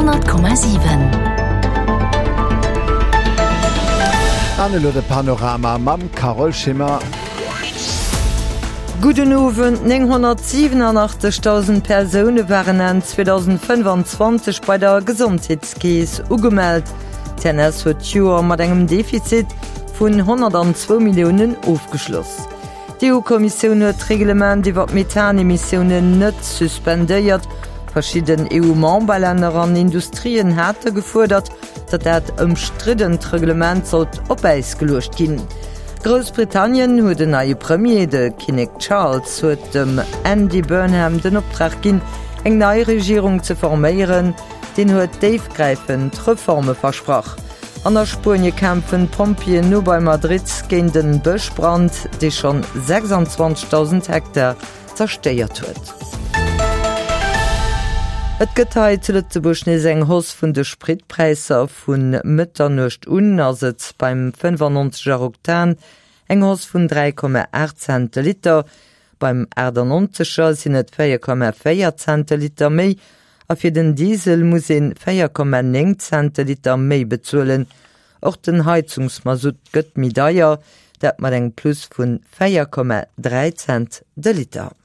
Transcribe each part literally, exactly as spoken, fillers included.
Honnert Komma siwen. An elo de Panorama mam Carole Schimmer. Gudden Owend. nénghonnertsiwenunachtzegdausend Persoune waren Enn zweedausendfënnefanzwanzeg bei der Gesondheetskeess ugemellt. D'C N S huet d'Joer mat engem Defizit vun honnertanzwou Milliounen ofgeschloss. D'E U-Kommissioun huet d'Reglement iwwer d'Methanemissiounen net suspendéiert. Verschidden E U-Memberlänner an Industrien hate gefuerdert, datt dat ëmstriddent Reglement sollt op Äis geluecht ginn. Groussbritannien huet en neie Premier, de Kinnek Charles huet dem Andy Burnham den Optrag ginn, eng nei Regierung ze forméieren. Deen huet déifgräifend Reforme versprach. An a Spuenie kämpfen d'Pompjeeën no bei Madrid géint en Bëschbrand, dee schonn sechsanzwanzegdausend Hektar zerstéiert huet. Et gëtt hei zu Lëtzebuerg nees eng Hausse vun de Spritpräisser. Vu Mëtternuecht un ass et beim fënnefannonzeger Oktan eng Hausse vun dräi Komma aacht Cent de Liter, beim aachtannonzeger sinn et véier Komma véier Cent de Liter méi a fir den Diesel muss een véier Komma néng Cent de Liter méi bezuelen. Och den Heizungsmasutt gëtt méi deier, dat mat engem Plus vun véier Komma dräi Cent de Liter.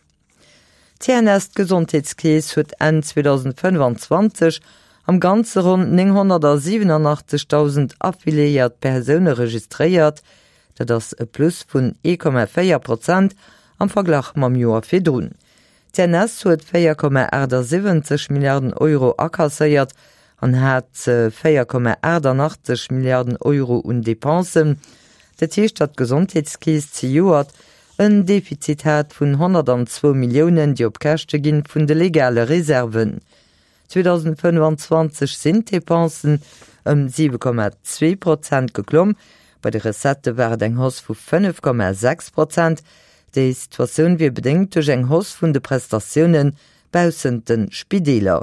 D'C N S, d'Gesondheetskeess, huet Enn zweedausendfënnefanzwanzeg am Ganze ronn nénghonnertsiwenunachtzegdausend affiliéiert Persoune registréiert. Dat ass e Plus vun ee Komma véier Prozent am Verglach mam Joer virdrun. D'C N S huet véier Komma achtasiwwenzeg Milliarden Euro akasséiert an hat véier Komma aachtannachtzeg Milliarden Euro un Depensen. Dat heescht, datt d'Gesondheetskeess zejoert en Defizit hat vun honnertanzwou Milliounen, déi op Käschte ginn vun de legale Reserven. zweedausendfënnefanzwanzeg sinn d'Depensen ëm siwe Komma zwee Prozent geklomm, bei de Recettë war et eng Hausse vu fënnef Komma sechs Prozent. Déi Situatioun wier bedéngt duerch eng Hausse vun de Prestatioune baussent de Spideeler.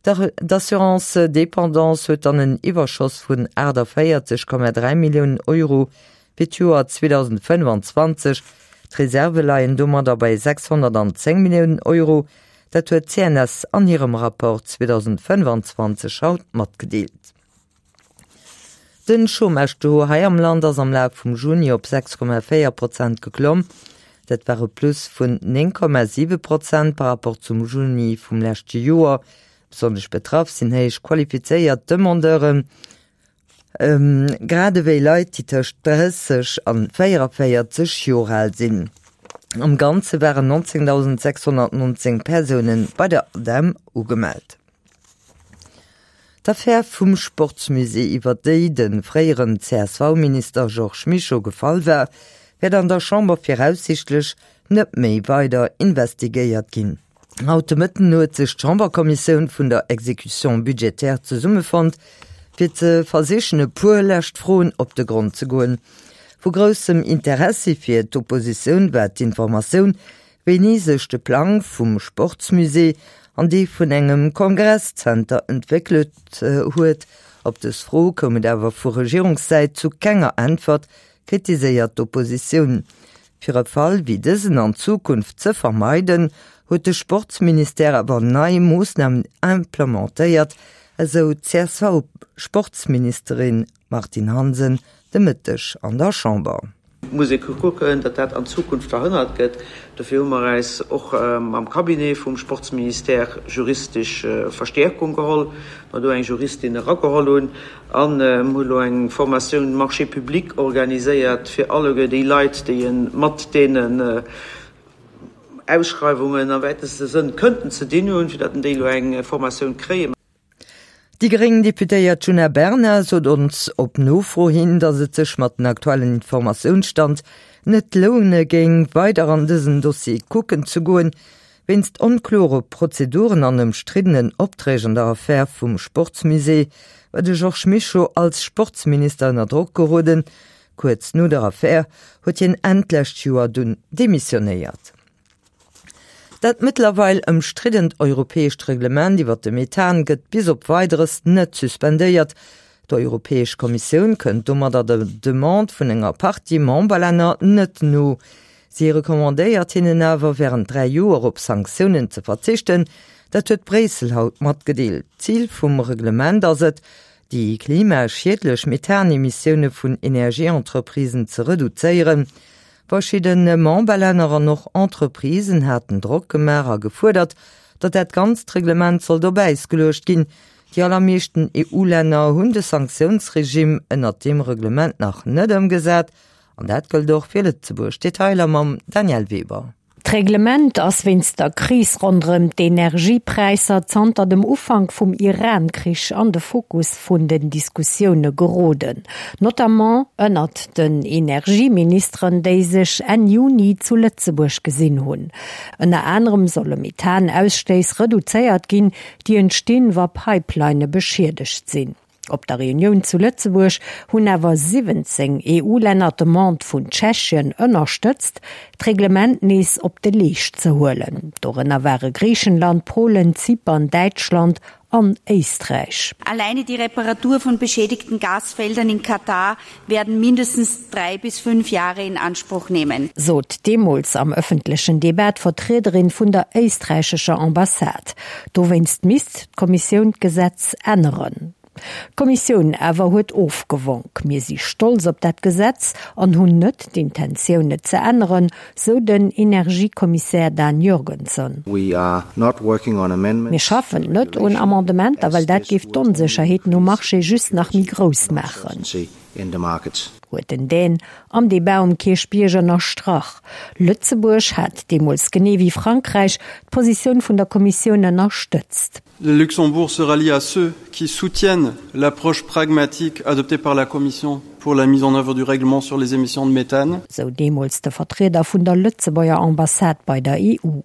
D'Assurance dépendance huet dann en Iwwerschoss vun aachtavéierzeg Komma dräi Milliounen Euro fir d'Joer zweedausendfënnefanzwanzeg. D'Reserve leien domadder bei sechshonnertanzéng Milliounen Euro. Dat huet d'C N S an hirem Rapport zweedausendfënnefanzwanzeg haut matgedeelt. Den Chômage-Taux hei am Land ass am Laf vum Juni op sechs Komma véier Prozent geklomm. Dat war e Plus vun néng Komma siwe Prozent par rapport zum Juni vum leschte Joer. Besonnesch betraff sinn héich qualifizéiert Demandeuren, grad ewéi Leit, déi tëscht drësseg an véierundavéierzeg Joer al sinn. Am Ganze waren nonzéngdausendsechshonnertnonzéng Persoune bei der ADEM ugemellt. D'Affär vum Sportsmusée, iwwer déi de fréieren C S V-Minister Georges Mischo gefall war, wäert an der Chamber viraussiichtlech net méi weider investigéiert ginn. Haut de Mëtten huet sech d'Chamberkommissioun vun der Exécution budgétaire zesummefonnt, fir ze versichen e puer lescht Froen op de Grond ze goen. Vu groussem Interessi fir d'Oppositioun war d'Informatioun, wéini sech de Plang vum Sportsmusée an dee vun engem Kongresszenter entwéckelt huet. Op dës Fro koum et awer vu Regierungssäit zu kenger Äntwert, kritiséiert d'Oppositioun. Fir e Fall wéi dësen an Zukunft ze vermeiden, huet de Sportsministère awer nei Moossnamen implementéiert, esou d'C S V-Sportsministerin Martine Hansen de Mëtteg an der Chamber. Muss ee kucken, datt dat an Zukunft verhënnert gëtt. Dofir hu mer eis och mam Cabinet vum Sportsministère juristesch Verstäerkung geholl, mer do eng Juristin erageholl hunn an hu lo eng Formatioun Marchés publics organiséiert fir alleguer déi Leit, déi e mat deenen Ausschreiwungen am wäiteste Sënn kënnten ze dinn hunn, fir datt déi elo eng Formatioun kréien. Déi gréng Deputéiert Djuna Bernard sot ons op Nofro hin, datt et sech mat den aktuellen Informatiounsstand net loune géing, weider an dësen Dossier kucken ze goen. Wéinst onklore Prozeduren an ëmstriddenen Opträg an der Affär vum Sportsmusée war de Georges Mischo als Sportsminister ënner Drock geroden. Kuerz no der Affär huet hien Enn d'lescht Joer dunn demissionéiert. Dat mëttlerweil ëmstriddent europäescht Reglement iwwer de Methan gëtt bis op Weideres net suspendéiert. D'Europäesch Kommissioun kënnt domadder der Demande vun enger Partie Memberlänner net no. Si recommandéiert hinnen awer, wärend dräi Joer op Sanktiounen ze verzichten. Dat huet Bréissel haut matgedeelt. Zil vum Reglement ass et, déi klimaschiedlech Methanemissioune vun Energieentreprisen ze reduzéieren. Verschidde Memberlänner an och Entreprisen haten Drock gemaach a gefuerdert, datt dat ganzt Reglement sollt op Äis geluecht ginn. Déi allermeeschten EU-Länner hunn de Sanktiounsregime ënnert deem Reglement nach net ëmgesat. An dat gëllt och fir Lëtzebuerg. Detailer mam Danièle Weber. D'Reglement ass wéinst der Kris ronderëm d'Energiepräisser zanter dem Ufank vum Iran-Krich an de Fokus vun den Diskussioune geroden, notamment ënnert den Energieministeren, déi sech Enn Juni zu Lëtzebuerg gesinn hunn. Ënner anerem solle Methan-Ausstéiss reduzéiert ginn, déi entstinn, wa Pipelinë beschiedegt sinn. Op der Reunioun zu Lëtzebuerg hunn awer siwwenzéng EU-Länner d'Demande vun Tschechien ënnerstëtzt, d'Reglement nees op de Leescht ze huelen. Dorënner ware Griichenland, Polen, Zypern, Däitschland an Éisträich. Alleine die Reparatur von beschädigten Gasfeldern in Katar werden mindestens drei bis fünf Jahre in Anspruch nehmen. Sot deemools am ëffentlechen Debat d'Vertriederin vun der éisträichescher Ambassade. Dowéinst misst d'Kommissioun d'Gesetz änneren. D'Kommissioun awer huet ofgewonk. Mir si stolz op dat Gesetz an hunn net d'Intentioun et ze änneren, sou den Energiekommissär Dan Jørgensen. Mir schaffen net un Amendementer, well dat géif d'Onsécherheeten um Marché just nach méi grouss maachen, huet den Dän am Debat um Kierchbierg ënnerstrach. Lëtzebuerg hat deemools genee wéi Frankräich d'Positioun vun der Kommissioun ënnerstëtzt. Le Luxembourg se rallie à ceux qui soutiennent l'approche pragmatique adoptée par la Commission pour la mise en œuvre du règlement sur les émissions de méthane. Sou deemools de Vertrieder vun der Lëtzebuerger Ambassade bei der E U.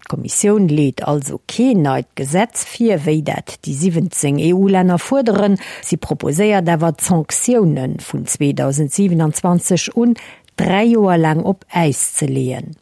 D'Kommissioun leet also keen neit Gesetz vir, wéi dat déi siwwenzéng E U-Länner fuerderen. Si proposéiert awer d'Sanktioune vun zweedausendsiwenanzwanzeg un dräi Joer laang op Äis ze leeën.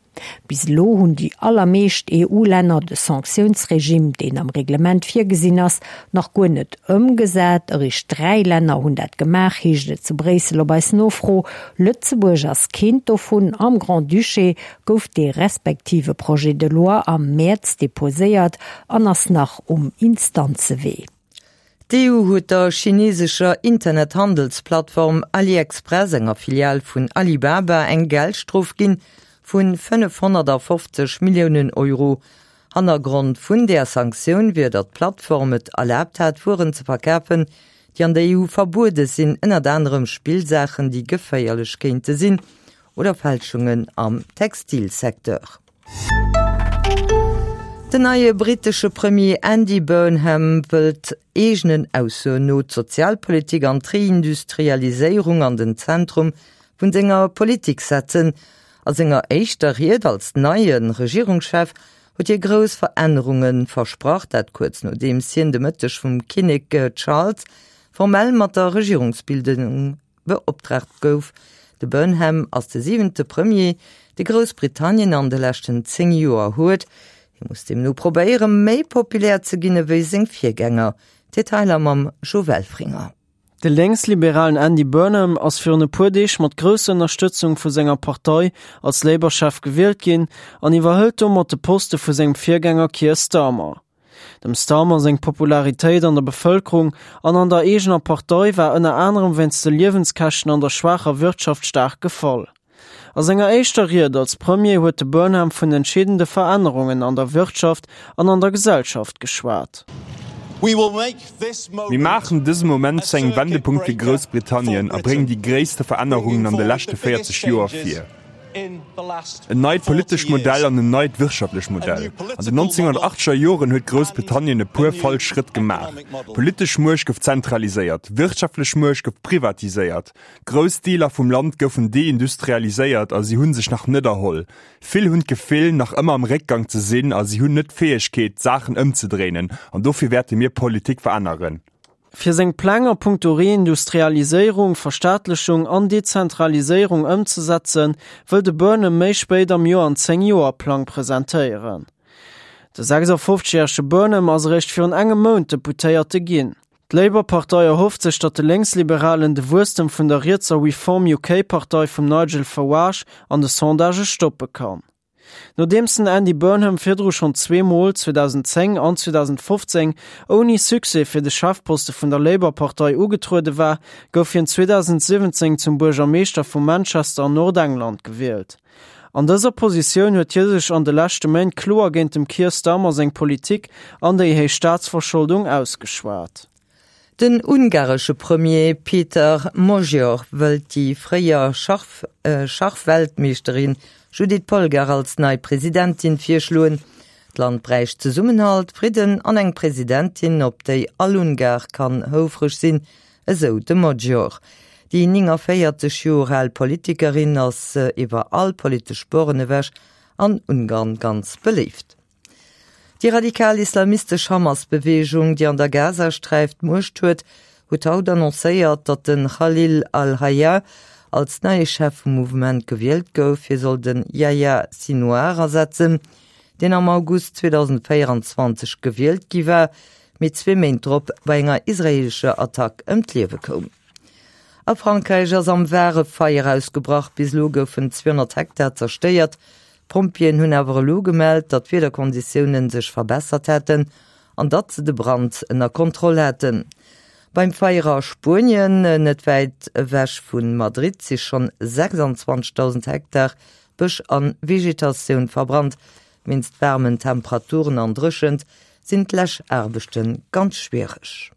Bis elo hunn déi allermeescht E U-Länner de Sanktiounsregime, deen am Reglement virgesinn ass, nach guer net ëmgesat. Eréischt dräi Länner hunn dat gemaach, heescht et zu Bréissel op eis Nofro. Lëtzebuerg ass keent dovun. Am Grand-Duché gouf dee respektive Projet de loi am Mäerz deposéiert an ass nach um Instanzewee. D'E U huet der chinesescher Internethandelsplattform AliExpress, enger Filial vun Alibaba, eng Geldstrof ginn vu fënnefhonnertafofzeg Milliounen Euro. Hannergrond vun där Sanktioun wier, datt d'Plattform et erlaabt hat, Wueren ze verkafen, déi an der E U verbuede sinn, ënnert anerem Spillsaachen, déi geféierlech kéinte sinn, oder Fälschungen am Textilsecteur. Den neie brittesche Premier Andy Burnham wëllt eegenen Aussoen no d'Sozialpolitik an d'Reindustrialiséierung an den Zentrum vun senger Politik setzen. A senger éischter Ried als neie Regierungschef huet hie grouss Verännerunge versprach, dat kuerz nodeems hien de Mëtteg vum Kinnek Charles formell mat der Regierungsbildung beoptraagt gouf. De Burnham ass de siwente Premier, dee Groussbritannien an de leschten zéng Joer huet. Hie muss deemno probéieren, méi populär ze ginn ewéi seng Virgänger. Detailer mam Jo Welfringer. De lénksliberalen Andy Burnham ass virun e puer Deeg mat grousser Ënnerstëtzung vu senger Partei als Labour-Chef gewielt ginn an iwwerhëlt domat de Poste vu sengem Virgänger Keir Starmer. Dem Starmer seng Popularitéit an der Bevëlkerung an an der eegener Partei war ënner anerem wéinst de Liewenskäschten an der schwaacher Wirtschaft staark gefall. A senger éischter Ried als Premier huet de Burnham vun entscheedende Verännerungen an der Wirtschaft an an der Gesellschaft geschwat. Mir maachen dëse Moment zu engem Wendepunkt fir Groussbritannien a bréngen déi gréisste Verännerungen an de leschte véierzeg Joer vir. En neit politescht Modell an en neit wirtschaftlecht Modell. An den nonzénghonnertachteger Joren huet Groussbritannien e puer falsch Schrëtt gemaach. Politesch Muecht gouf zentraliséiert, wirtschaftlech Muecht gouf privatiséiert. Grouss Deeler vum Land goufen deindustrialiséiert a si hu sech nach net erholl. Vill hunn d'Gefill, nach ëmmer am Réckgang ze sinn a si hunn net d'Fäegkeet, d'Saachen ëmzedréinen. An dofir wäerte mir Politik veränneren. Fir seng Pläng a punkto Reindustrialiséierung, Verstaatlechung an Dezentraliséierung ëmzesetzen, wëll de Burnham méi spéit am Joer en Zéng-Joer-Plang presentéieren. De sechsafofzeg-järege Burnham ass eréischt virun engem Mount Deputéierte ginn. D'Labour-Partei erhofft sech, datt de Lénksliberalen de Wuesstem vun der rietser Reform U K-Partei vum Nigel Farage an de Sondagë stoppe kann. Nodeems den Andy Burnham virdru schonn zwee Mol, zweedausendzéng an zweedausendfofzéng, ouni Succès fir de Chefposte vun der Labour-Partei ugetruede war, gouf hien zweedausendsiwwenzéng zum Buergermeeschter vu Manchester an Nordengland gewielt. An dëser Positioun huet hie sech an de leschte Méint kloer géint dem Keir Starmer seng Politik an déi héich Staatsverscholdung ausgeschwat. Den ungaresche Premier Peter Magyar wëllt déi fréier Schachweltmeeschterin Judit Polgar als nei Presidentin virschloen. D'Land bräicht Zesummenhalt, Fridden an eng Presidentin, op déi all Ungar kann houfreg sinn, esou de Magyar. Déi néngavéierzeg Joer al Politikerin ass iwwer all politesch Boren ewech an Ungarn ganz beléift. Déi radikal-islamistesch Hamas-Beweegung, déi an der Gazasträif d'Muecht huet, huet haut annoncéiert, datt de Khalil al-Hayya als neie Chef vum Mouvement gewielt gouf. Hie soll de Yahya Sinouar ersetzen, deen am August zweedausendvéierenzwanzeg gewielt gi war, mee zwee Méint drop bei enger israeelescher Attack ëm d'Liewe koum. A Frankräich ass am Var e Feier ausgebrach. Bis elo goufen zweehonnert Hektar zerstéiert. D'Pompjeeën hunn awer elo gemellt, datt d'Wiederkonditioune sech verbessert hätten an datt se de Brand ënner Kontroll hätten. Beim Feier a Spuenien, net wäit ewech vu Madrid, si schonn sechsanzwanzegdausend Hektar Bësch a Vegetatioun verbrannt. Wéinst waarmen Temperaturen an Dréchent sinn d'Läschaarbechte ganz schwiereg.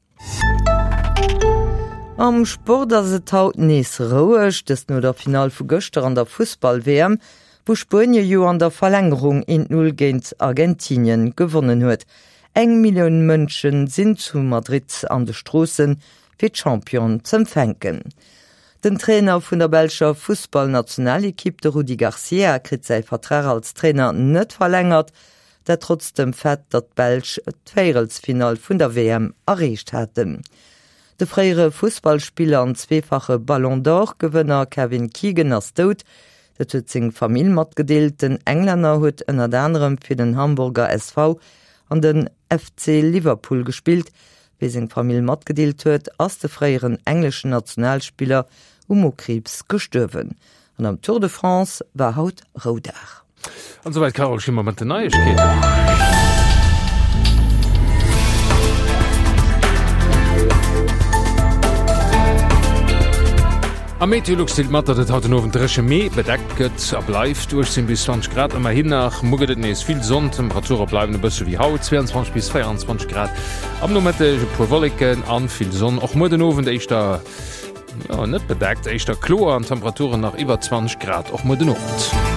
Am Sport ass et haut nees roueg, dëst no der Finall vu gëschter an der Fussball-W M, wou Spuenie jo an der Verlängerung eent Null géint Argentinien gewonnen huet. Eng Millioun Mënsche sinn zu Madrid an de Stroossen, fir d'Championen z'empfänken. Den Trainer vun der belscher Fussballnationalekipp, de Rudi Garcia, kritt säi Vertrag als Trainer net verlängert. Dat trotz dem Fait, datt d'Belsch d'Véierelsfinall vun der W M erreecht haten. De fréiere Fussballspiller an zweefache Ballon d'Or-Gewënner Kevin Keegan ass dout. Dat huet seng Famill matgedeelt. Den Englänner huet ënnert anerem fir den Hamburger S V an den F C Liverpool gespillt. Wéi seng Famill matgedeelt huet, ass de fréieren engleschen Nationalspiller u Mokriibs gestuerwen. An am Tour de France war haut Roudag. An esouwäit d'Carole Schimmer mat den Neiegkeeten. A Meteolux deelt mat, datt et haut den Owend dréche mee bedeckt gëtt a bleift. uechtzéng bis zwanzeg Grad ëmmerhin nach. Muer gëtt et nees vill Sonn, d'Temperature bleiwen e bësse wéi haut, zweiandzwanzeg bis véierundzwanzeg Grad am Nomëtteg, e puer Wolleken an vill Sonn. Och muer den Owend éischter, jo, net bedeckt, éischter kloer an Temperaturen nach iwwer zwanzeg Grad och muer den Owend.